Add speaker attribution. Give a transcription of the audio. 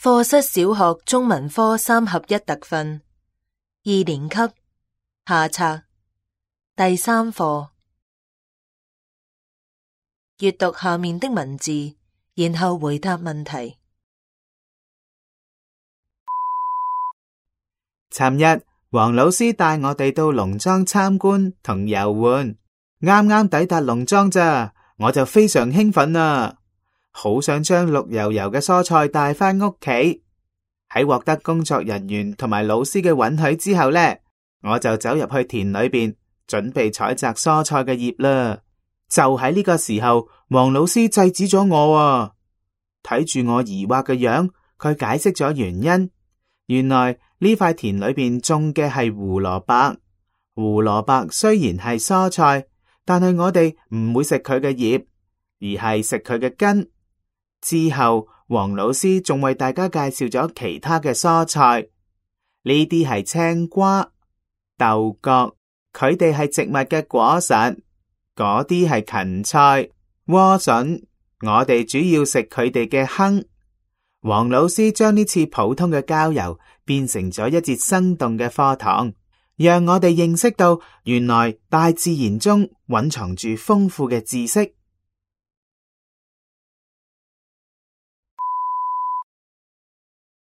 Speaker 1: 課室小學中文科3合1特訓2年級下冊第3課，閱讀下面的文字，然後回答問題。
Speaker 2: 尋日黃老師帶我哋到農莊參觀同遊玩，啱啱抵達農莊咋，我就非常興奮啦，好想將綠油油嘅蔬菜帶返屋企。喺獲得工作人員同埋老師嘅允許之後呢，我就走入去田裏邊，準備採摘蔬菜嘅葉啦。就喺呢個時候，黃老師制止咗我啊！睇住我疑惑嘅樣，佢解釋咗原因。原來呢塊田裏邊種嘅係胡蘿蔔。胡蘿蔔雖然係蔬菜，但係我哋唔會食佢嘅葉，而係食佢嘅根。之後黃老師仲為大家介紹咗其他嘅蔬菜，呢啲係青瓜、豆角，佢哋係植物嘅果實。嗰啲係芹菜、萵筍，我哋主要食佢哋嘅糠。黃老師將呢次普通嘅郊遊變成咗一節生動嘅課堂，讓我哋認識到原來大自然中蘊藏住豐富嘅知識。